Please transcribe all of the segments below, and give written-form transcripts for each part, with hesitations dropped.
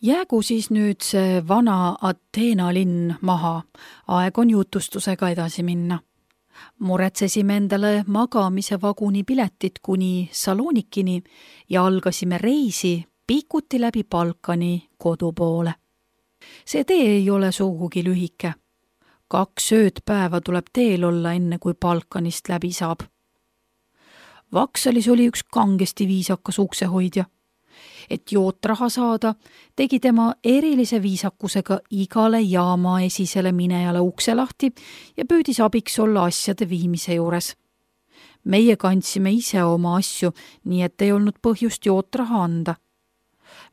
Jäägu siis nüüd see vana Ateena linn maha, aeg on jutustusega edasi minna. Muretsesime endale magamise vaguni piletit kuni Salonikini ja algasime reisi pikuti läbi Balkani kodu poole. See tee ei ole sugugi lühike. 2 ööd-päeva tuleb teel olla, enne kui Balkanist läbi saab. Vaksalis oli üks kangesti viisakas uksehoidja. Et jootraha saada, tegi tema erilise viisakusega igale jaama esisele minejale ukse lahti ja püüdis abiks olla asjade viimise juures. Meie kandsime ise oma asju, nii et ei olnud põhjust jootraha anda.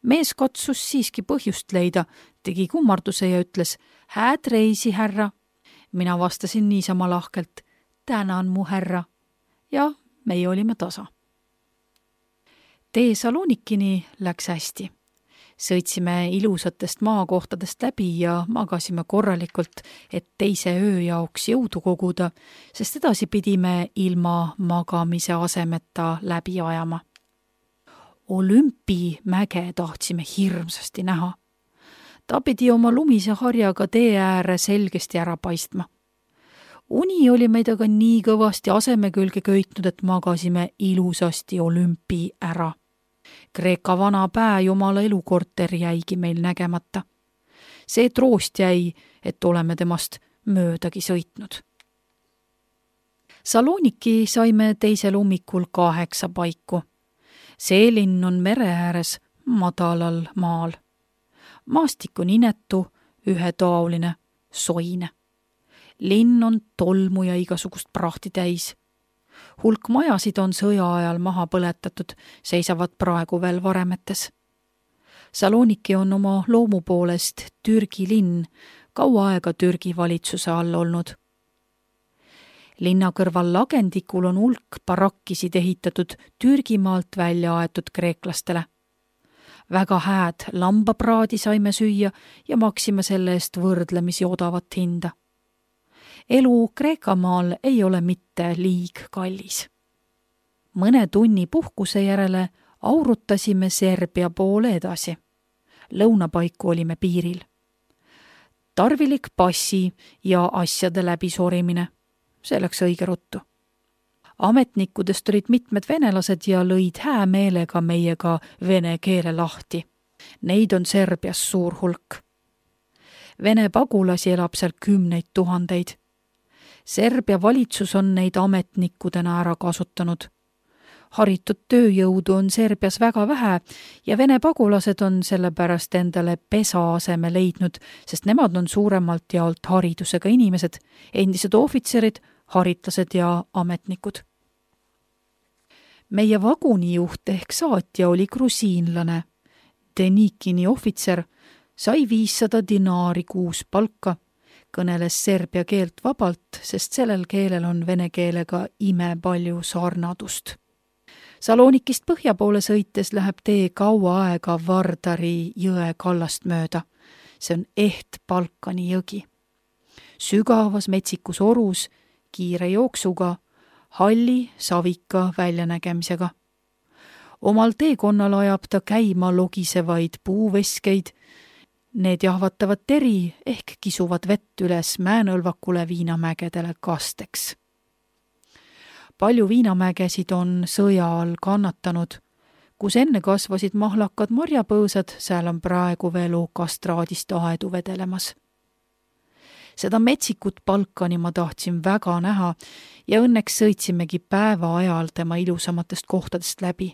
Mees katsus siiski põhjust leida, tegi kummarduse ja ütles, hääd reisi, härra. Mina vastasin niisama lahkelt, tänan mu härra. Ja meie olime tasa. Tee Salonikini läks hästi. Sõitsime ilusatest maakohtadest läbi ja magasime korralikult, et teise öö jaoks jõudu koguda, sest edasi pidime ilma magamise asemeta läbi ajama. Olümpimäge tahtsime hirmsasti näha. Ta pidi oma lumise harjaga tee ääre selgesti ära paistma. Uni oli meid aga nii kõvasti aseme külge köitnud, et magasime ilusasti olümpi ära. Kreeka vana pääjumala elukorter jäigi meil nägemata. See troost jäi, et oleme temast möödagi sõitnud. Saloniki saime teisel ummikul 8 paiku. See linn on mere ääres madalal maal. Maastik on inetu, ühetaoline, soine. Linn on tolmu ja igasugust prahti täis. Hulk majasid on sõja ajal maha põletatud, seisavad praegu veel varemetes. Saloniki on oma loomu poolest Türgi linn, kaua aega Türgi valitsuse all olnud. Linna kõrval lagendikul on hulk barakkisid ehitatud Türgimaalt välja aetud kreeklastele. Väga hääd lambapraadi saime süüa ja maksime selle eest võrdlemisi odavat hinda. Elu Kreekamaal ei ole mitte liig kallis. Mõne tunni puhkuse järele aurutasime Serbia poole edasi. Lõunapaiku olime piiril. Tarvilik passi ja asjade läbisorimine. See läks õige ruttu. Ametnikudest olid mitmed venelased ja lõid hää meelega meiega vene keele lahti. Neid on Serbias suur hulk. Vene pagulasi elab seal 10 000. Serbia valitsus on neid ametnikudena ära kasutanud. Haritud tööjõudu on Serbias väga vähe ja vene pagulased on sellepärast endale pesa aseme leidnud, sest nemad on suuremalt jaolt haridusega inimesed, endised ohvitserid, haritlased ja ametnikud. Meie vagunijuht ehk saatja oli grusiinlane. Denikini ohvitser sai 500 dinaari kuus palka, kõneles serbia keelt vabalt, sest sellel keelel on vene keelega imepalju sarnadust. Salonikist põhja poole sõites läheb tee kaua aega Vardari jõe kallast mööda. See on Balkani jõgi. Sügavas metsikus orus, kiire jooksuga, halli savika väljanägemisega. Omal teekonnal ajab ta käima logisevaid puuveskeid. Need jahvatavad teri ehk kisuvad vett üles Mäenõlvakule viinamägedele kasteks. Palju viinamägesid on sõja all kannatanud. Kus enne kasvasid mahlakad marjapõõsad, seal on praegu veel kastraadist aedu vedelemas. Seda metsikut Balkani ma tahtsin väga näha ja õnneks sõitsimegi päeva ajal tema ilusamatest kohtadest läbi.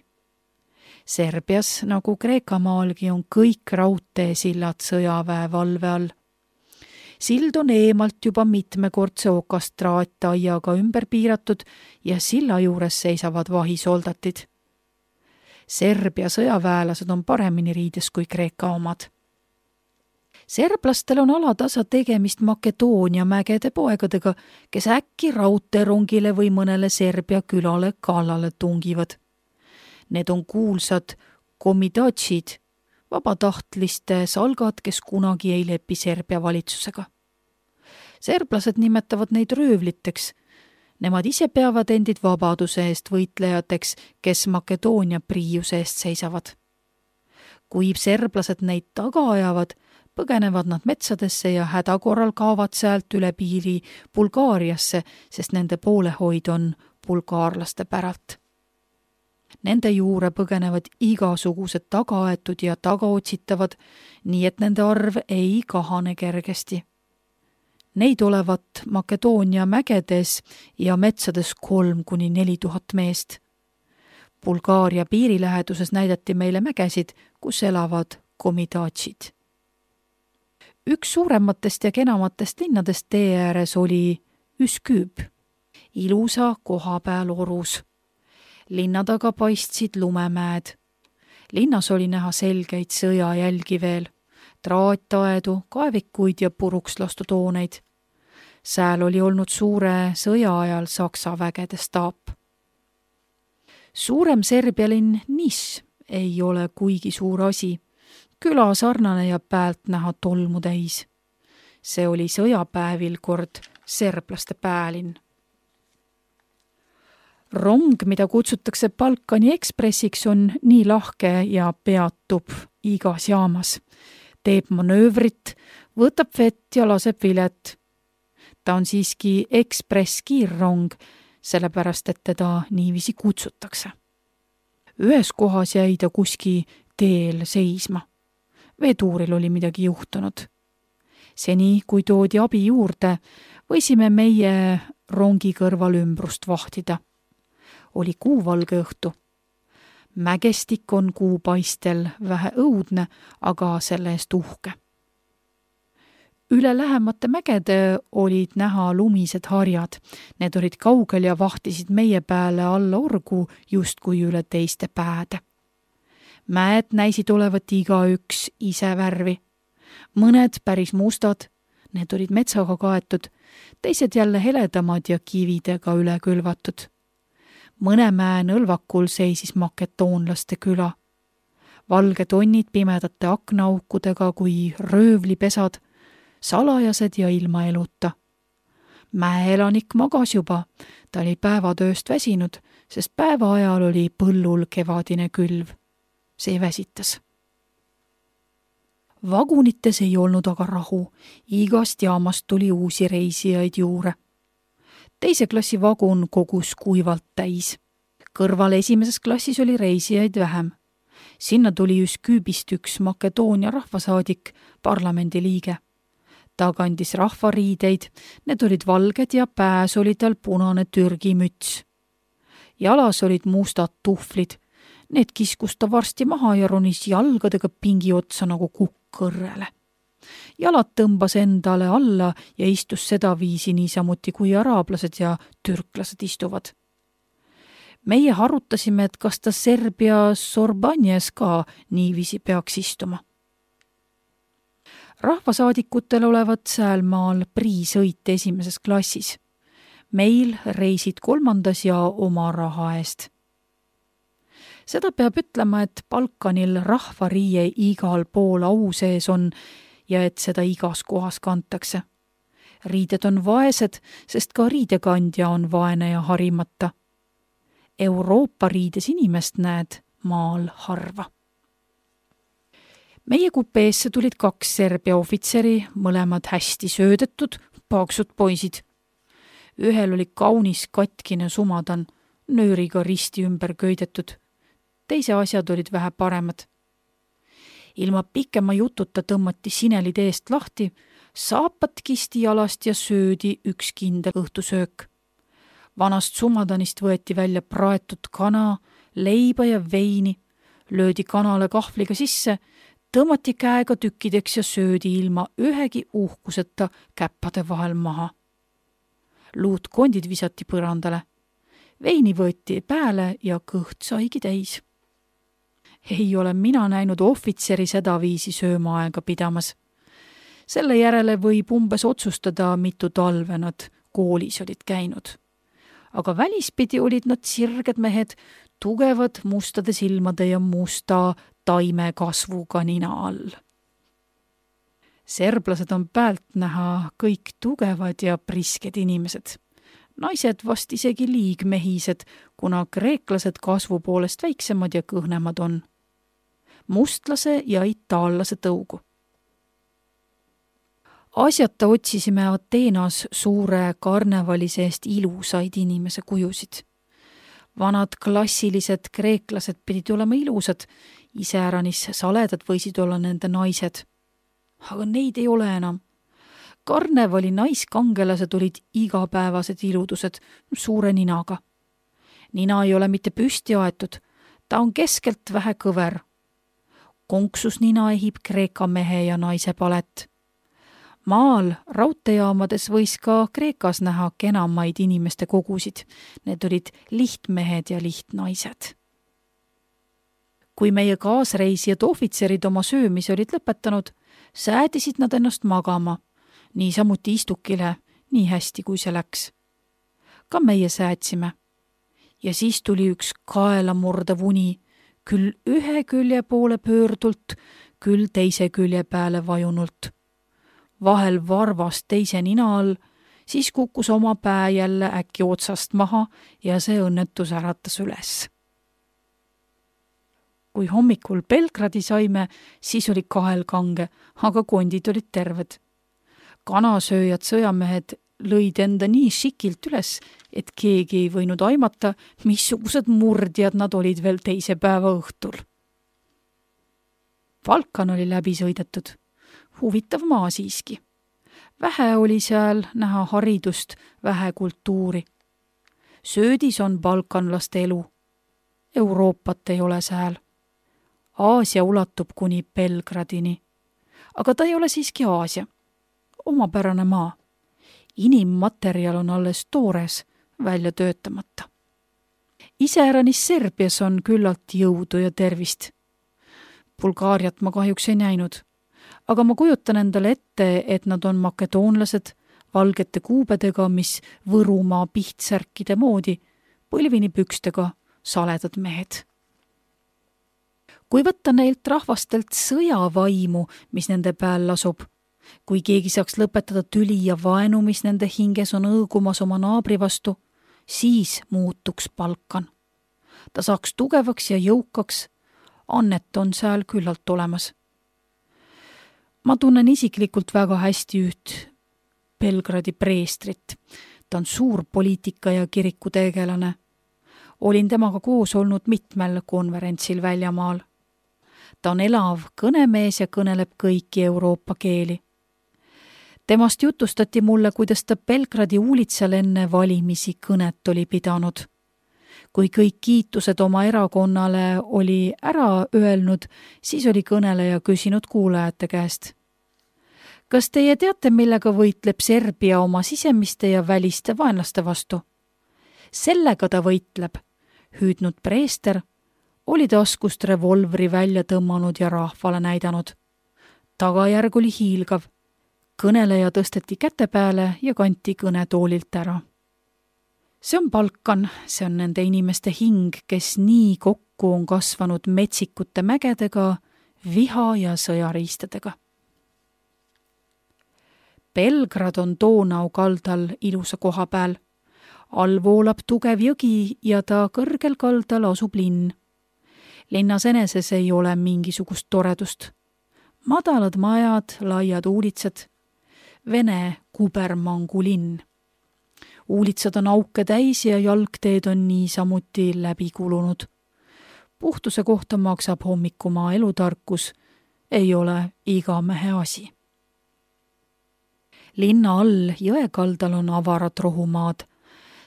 Serbias, nagu Kreekamaalgi, on kõik raudteesillad sõjaväe valve all. Sild on eemalt juba mitmekordse okastraataiaga ümber piiratud ja silla juures seisavad vahisoldatid. Serbia sõjaväelased on paremini riides kui Kreeka omad. Serblastel on alatasa tegemist Makedoonia mägede poegadega, kes äkki raudteerongile või mõnele Serbia külale kallale tungivad. Need on kuulsad komidatšid, vabatahtlaste salgad, kes kunagi ei lepi Serbia valitsusega. Serblased nimetavad neid röövliteks. Nemad ise peavad endid vabaduse eest võitlejateks, kes Makedoonia priiuse eest seisavad. Kui serblased neid taga ajavad, põgenevad nad metsadesse ja hädakorral kaovad sealt üle piiri Bulgaariasse, sest nende poolehoid on bulgaarlaste päralt. Nende juure põgenevad igasugused tagaaetud ja tagaotsitavad, nii et nende arv ei kahane kergesti. Neid olevat Makedoonia mägedes ja metsades 3-4000 meest. Bulgaaria piiriläheduses näidati meile mägesid, kus elavad komidaatsid. Üks suurematest ja kenamatest linnadest tee ääres oli Üsküp, ilusa koha peal orus. Linna taga paistsid lumemäed. Linnas oli näha selgeid sõjajälgi veel, traataedu, kaevikuid ja puruks lastud hooneid. Sääl oli olnud suure sõja ajal Saksa vägede staap. Suurem Serbia linn Nis ei ole kuigi suur asi, küla sarnane ja päält näha tolmu täis. See oli sõjapäevil kord serblaste päälinn. Rong, mida kutsutakse Balkani Ekspressiks, on nii lahke ja peatub igas jaamas. Teeb manöövrit, võtab vett ja laseb vilet. Ta on siiski ekspress-kiirrong, sellepärast et teda niiviisi kutsutakse. Ühes kohas jäi ta kuski teel seisma. Veetuuril oli midagi juhtunud. Seni, kui toodi abi juurde, võisime meie rongi kõrval ümbrust vahtida. Oli kuuvalge õhtu. Mägestik on kuupaistel vähe õudne, aga selle eest uhke. Üle lähemate mägede olid näha lumised harjad. Need olid kaugel ja vahtisid meie pääle alla orgu justkui üle teiste pääde. Mäed näisid olevat igaüks ise värvi. Mõned päris mustad, need olid metsaga kaetud, teised jälle heledamad ja kividega üle külvatud. Mõne mäe nõlvakul seisis maketoonlaste küla. Valged onnid pimedate aknaaukudega kui röövlipesad, salajased ja ilma eluta. Mäeelanik magas juba, ta oli päevatööst väsinud, sest päeva ajal oli põllul kevadine külv. See väsitas. Vagunites ei olnud aga rahu, igast jaamast tuli uusi reisijaid juurde. Teise klassi vagun kogus kuivalt täis. Kõrval esimeses klassis oli reisijaid vähem. Sinna tuli Üsküpist üks Makedoonia rahvasaadik, parlamendiliige. Ta kandis rahvariideid, need olid valged ja pääs oli tal punane Türgi müts. Jalas olid mustad tuhvlid, need kiskus ta varsti maha ja ronis jalgadega pingi otsa nagu kukkõrrele. Jalad tõmbas endale alla ja istus sedaviisi niisamuti kui araablased ja türklased istuvad. Meie harutasime, et kas ta Serbia Sorbanjes ka niiviisi peaks istuma. Rahvasaadikutel olevat säälmaal priisõit esimeses klassis. Meil reisid 3. ja oma raha eest. Seda peab ütlema, et Balkanil rahvariie igal pool au sees on ja et seda igas kohas kantakse. Riided on vaesed, sest ka riidekandja on vaene ja harimata. Euroopa riides inimest näed maal harva. Meie kupeesse tulid 2 Serbia ohvitseri, mõlemad hästi söödetud, paksud poisid. Ühel oli kaunis katkine sumadan, nööriga risti ümber köidetud. Teise asjad olid vähe paremad. Ilma pikema jututa tõmmati sinelid eest lahti, saapad kisti jalast ja söödi üks kindel õhtusöök. Vanast sumadanist võeti välja praetud kana, leiba ja veini, löödi kanale kahvliga sisse, tõmmati käega tükkideks ja söödi ilma ühegi uhkuseta käppade vahel maha. Luutkondid visati põrandale. Veini võeti pääle ja kõht saigi täis. Ei ole mina näinud ohvitseri sedaviisi söömaaega pidamas. Selle järele võib umbes otsustada, mitu talve nad koolis olid käinud. Aga välispidi olid nad sirged mehed, tugevad mustade silmade ja musta taime kasvuga nina all. Serblased on päält näha kõik tugevad ja prisked inimesed. Naised vast isegi liigmehised, kuna kreeklased kasvu poolest väiksemad ja kõhnemad on. mustlase ja itaallase tõugu. Asjata otsisime Ateenas suure karnevali seest ilusaid inimese kujusid. Vanad klassilised kreeklased pidid olema ilusad, iseäranis saledad võisid olla nende naised. Aga neid ei ole enam. Karnevali naiskangelased olid igapäevased iludused suure ninaga. Nina ei ole mitte püsti aetud, ta on keskelt vähe kõver. Konksus nina ehib Kreeka mehe ja naise palet. Maal raudteejaamades võis ka Kreekas näha kenamaid inimeste kogusid. Need olid lihtmehed ja lihtnaised. Kui meie kaasreisijad ohvitserid oma söömise olid lõpetanud, säädisid nad ennast magama, niisamuti istukile, nii hästi kui see läks. Ka meie säädsime. Ja siis tuli üks kaelamurdav uni, küll ühe külje poole pöördult, küll teise külje peale vajunult. Vahel varvast teise nina all, siis kukkus oma pää jälle äkki otsast maha ja see õnnetus äratas üles. Kui hommikul Belgradi saime, siis oli kahel kange, aga kondid olid terved. Kanasööjad sõjamehed lõid enda nii šikilt üles, et keegi ei võinud aimata, missugused murdjad nad olid veel teise päeva õhtul. Balkan oli läbi sõidetud. Huvitav maa siiski. Vähe oli seal näha haridust, vähe kultuuri. Söödis on balkanlaste elu. Euroopat ei ole sääl. Aasia ulatub kuni Belgradini. Aga ta ei ole siiski Aasia. Omapärane maa. Inimmaterjal on alles toores, välja töötamata. Iseäranis Serbias on küllalt jõudu ja tervist. Bulgaariat ma kahjuks ei näinud. Aga ma kujutan endale ette, et nad on makedoonlased, valgete kuubedega, mis Võrumaa pihtsärkide moodi, põlvini pükstega, saledad mehed. Kui võtta neilt rahvastelt sõjavaimu, mis nende pääl lasub, kui keegi saaks lõpetada tüli ja vaenu, mis nende hinges on õõgumas oma naabri vastu, siis muutuks Balkan. Ta saaks tugevaks ja jõukaks, annet on seal küllalt olemas. Ma tunnen isiklikult väga hästi üht Belgradi preestrit. Ta on suur poliitika ja kirikutegelane. Olin temaga koos olnud mitmel konverentsil väljamaal. Ta on elav kõnemees ja kõneleb kõiki Euroopa keeli. Temast jutustati mulle, kuidas ta Belgradi uulitsal enne valimisi kõnet oli pidanud. Kui kõik kiitused oma erakonnale oli ära öelnud, siis oli kõneleja küsinud kuulajate käest. Kas teie teate, millega võitleb Serbia oma sisemiste ja väliste vaenlaste vastu? Sellega ta võitleb, hüüdnud preester, oli taskust revolvri välja tõmmanud ja rahvale näidanud. Tagajärg oli hiilgav. Kõneleja tõsteti käte peale ja kanti kõnetoolilt ära. See on Balkan, see on nende inimeste hing, kes nii kokku on kasvanud metsikute mägedega, viha ja sõjariistadega. Belgrad on Donau kaldal ilusa koha peal. All voolab tugev jõgi ja ta kõrgel kaldal asub linn. Linnas eneses ei ole mingisugust toredust. Madalad majad, laiad uulitsad. Vene kubermangu linn. Uulitsad on auke täis ja jalgteed on niisamuti läbi kulunud. Puhtuse kohta maksab hommikumaa elutarkus, ei ole iga mehe asi. Linna all jõekaldal on avarad rohumaad.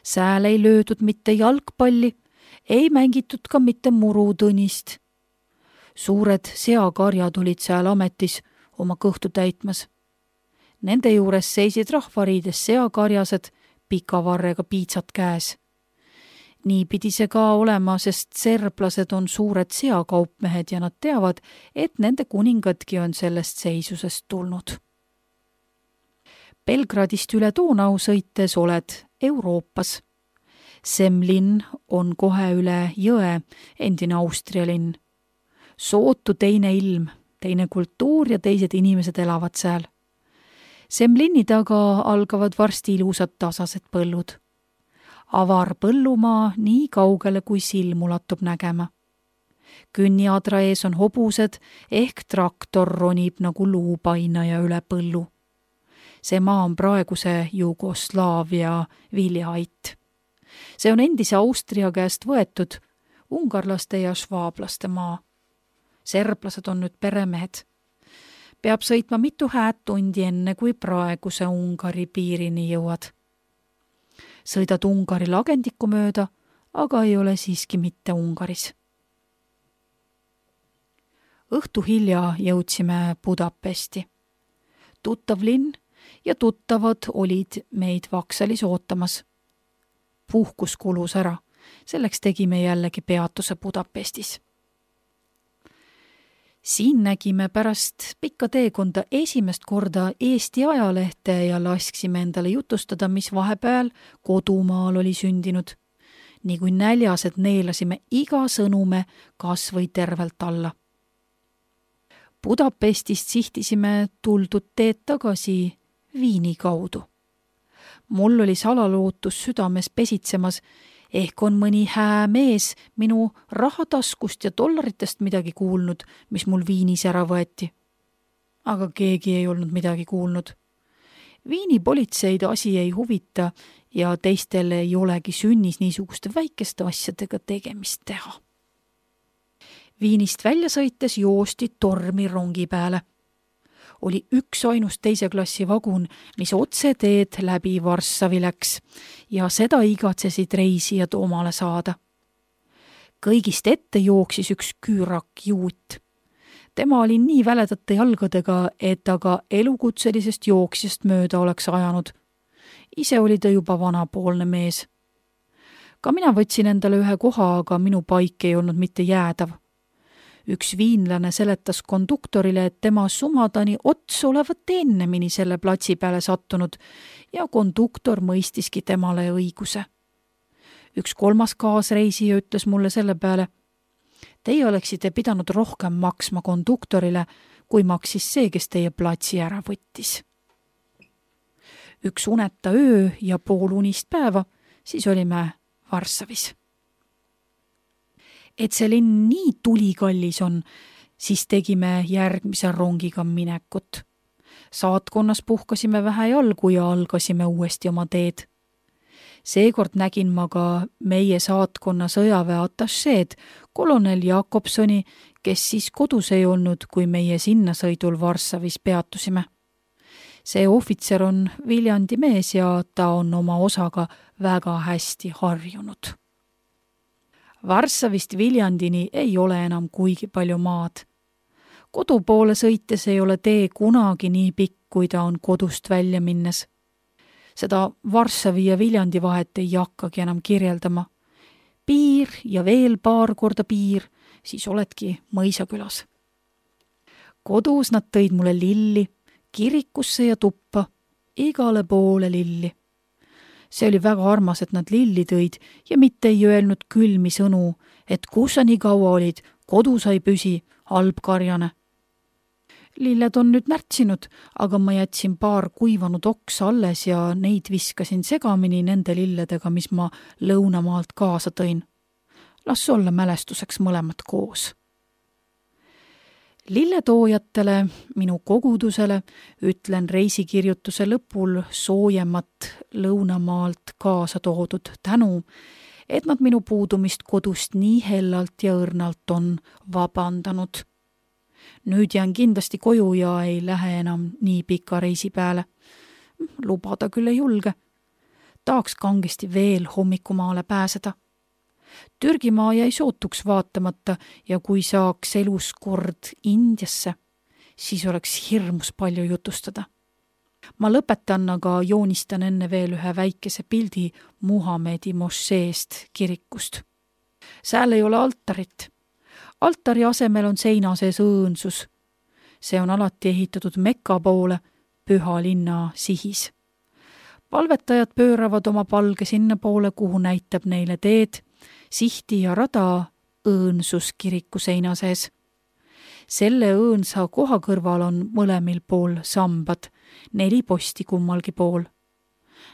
Sääl ei löödud mitte jalgpalli, ei mängitud ka mitte murutõnist. Suured seakarjad olid seal ametis oma kõhtu täitmas. Nende juures seisid rahvariides seakarjased, pika varrega piitsad käes. Nii pidi see ka olema, sest serblased on suured seakaupmehed ja nad teavad, et nende kuningadki on sellest seisusest tulnud. Belgradist üle Donau sõites oled Euroopas. Semlin on kohe üle jõe, endine Austria linn. Sootu teine ilm, teine kultuur ja teised inimesed elavad seal. Semlini taga algavad varsti ilusad tasased põllud. Avar põllumaa nii kaugele, kui silm ulatub nägema. Künniadra ees on hobused ehk traktor ronib nagu luupainaja üle põllu. See maa on praeguse Jugoslaavia viljaait. See on endise Austria käest võetud ungarlaste ja švaablaste maa. Serblased on nüüd peremehed. Peab sõitma mitu hääd tundi enne, kui praeguse Ungari piirini jõuad. Sõidad Ungari lagendiku mööda, aga ei ole siiski mitte Ungaris. Õhtu hilja jõudsime Budapesti. Tuttav linn ja tuttavad olid meid Vaksalis ootamas. Puhkus kulus ära, selleks tegime jällegi peatuse Budapestis. Siin nägime pärast pikka teekonda esimest korda Eesti ajalehte ja lasksime endale jutustada, mis vahepeal kodumaal oli sündinud. Nii kui näljased neelasime iga sõnume kas või tervelt alla. Budapestist sihtisime tuldud teed tagasi Viini kaudu. Mul oli salalootus südames pesitsemas, ehk on mõni hää mees minu rahataskust ja dollaritest midagi kuulnud, mis mul Viinis ära võeti. Aga keegi ei olnud midagi kuulnud. Viini politseid asi ei huvita ja teistel ei olegi sünnis niisuguste väikeste asjadega tegemist teha. Viinist välja sõites joosti tormi rongi peale. Oli üks ainus teise klassi vagun, mis otse teed läbi Varssavi läks ja seda igatsesid reisijad omale saada. Kõigist ette jooksis üks küürak juut. Tema oli nii väledate jalgadega, et aga elukutselisest jooksjast mööda oleks ajanud. Ise oli ta juba vanapoolne mees. Ka mina võtsin endale ühe koha, aga minu paik ei olnud mitte jäädav. Üks viinlane seletas konduktorile, et tema sumadani ots olevat ennemini selle platsi peale sattunud ja konduktor mõistiski temale õiguse. Üks kolmas kaasreisija ütles mulle selle peale: teie oleksite pidanud rohkem maksma konduktorile, kui maksis see, kes teie platsi ära võttis. Üks uneta öö ja pool unist päeva, siis olime Varssavis. Et see linn nii tulikallis on, siis tegime järgmise rongiga minekut. Saatkonnas puhkasime vähe jalgu ja algasime uuesti oma teed. Seekord nägin ma ka meie saatkonna sõjaväe atašeed, kolonel Jakobsoni, kes siis kodus ei olnud, kui meie sinnasõidul Varssavis peatusime. See ohvitser on Viljandi mees ja ta on oma osaga väga hästi harjunud. Varssavist Viljandini ei ole enam kuigi palju maad. Kodu poole sõites ei ole tee kunagi nii pikk, kui ta on kodust välja minnes. Seda Varssavi ja Viljandi vahet ei hakkagi enam kirjeldama. Piir ja veel paar korda piir, siis oledki Mõisakülas. Kodus nad tõid mulle lilli, kirikusse ja tuppa, igale poole lilli. See oli väga armas, et nad lilli tõid ja mitte ei öelnud külmi sõnu, et kus sa nii kaua olid, kodu sai püsi, halb karjane. Lilled on nüüd närtsinud, aga ma jätsin paar kuivanud oksa alles ja neid viskasin segamini nende lilledega, mis ma lõunamaalt kaasa tõin. Las olla mälestuseks mõlemad koos. Lilletoojatele, minu kogudusele, ütlen reisikirjutuse lõpul soojemat lõunamaalt kaasa toodud tänu, et nad minu puudumist kodust nii hellalt ja õrnalt on vabandanud. Nüüd jään kindlasti koju ja ei lähe enam nii pika reisi peale. Lubada küll ei julge. Tahaks kangesti veel hommikumaale pääseda. Türgimaa jäi sootuks vaatamata ja kui saaks elus kord Indiasse, siis oleks hirmus palju jutustada. Ma lõpetan, aga joonistan enne veel ühe väikese pildi Muhamedi mošeest kirikust. Sääl ei ole altarit. Altari asemel on seina sees õõnsus. See on alati ehitatud Mekka poole, püha linna sihis. Palvetajad pööravad oma palge sinna poole, kuhu näitab neile teed, sihti ja rada õõnsus kiriku seina sees. Selle õõnsa koha kõrval on mõlemil pool sambad, 4 posti kummalgi pool.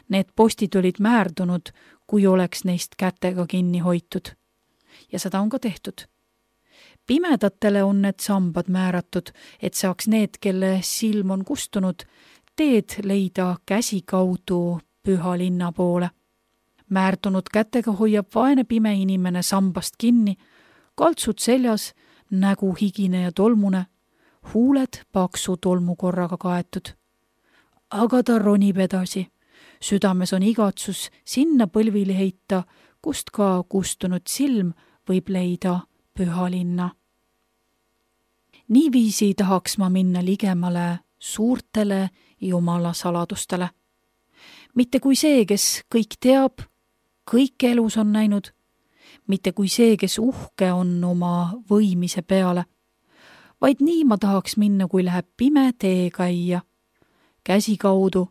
Need postid olid määrdunud, kui oleks neist kätega kinni hoitud. Ja seda on ka tehtud. Pimedatele on need sambad määratud, et saaks need, kelle silm on kustunud, teed leida käsikaudu püha linna poole. Määrdunud kätega hoiab vaene pime inimene sambast kinni, kaltsud seljas, nägu higine ja tolmune, huuled paksu tolmukorraga kaetud. Aga ta ronib edasi. Südames on igatsus sinna põlvili heita, kust ka kustunud silm võib leida püha linna. Niiviisi tahaks ma minna ligemale suurtele Jumala saladustele. Mitte kui see, kes kõik teab, kõik elus on näinud, mitte kui see, kes uhke on oma võimise peale, vaid nii ma tahaks minna, kui läheb pime tee käia, käsi kaudu,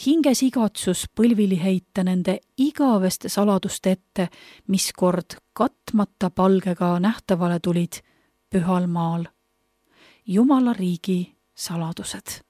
hinges igatsus põlvili heita nende igaveste saladuste ette, mis kord katmata palgega nähtavale tulid pühal maal. Jumala riigi saladused.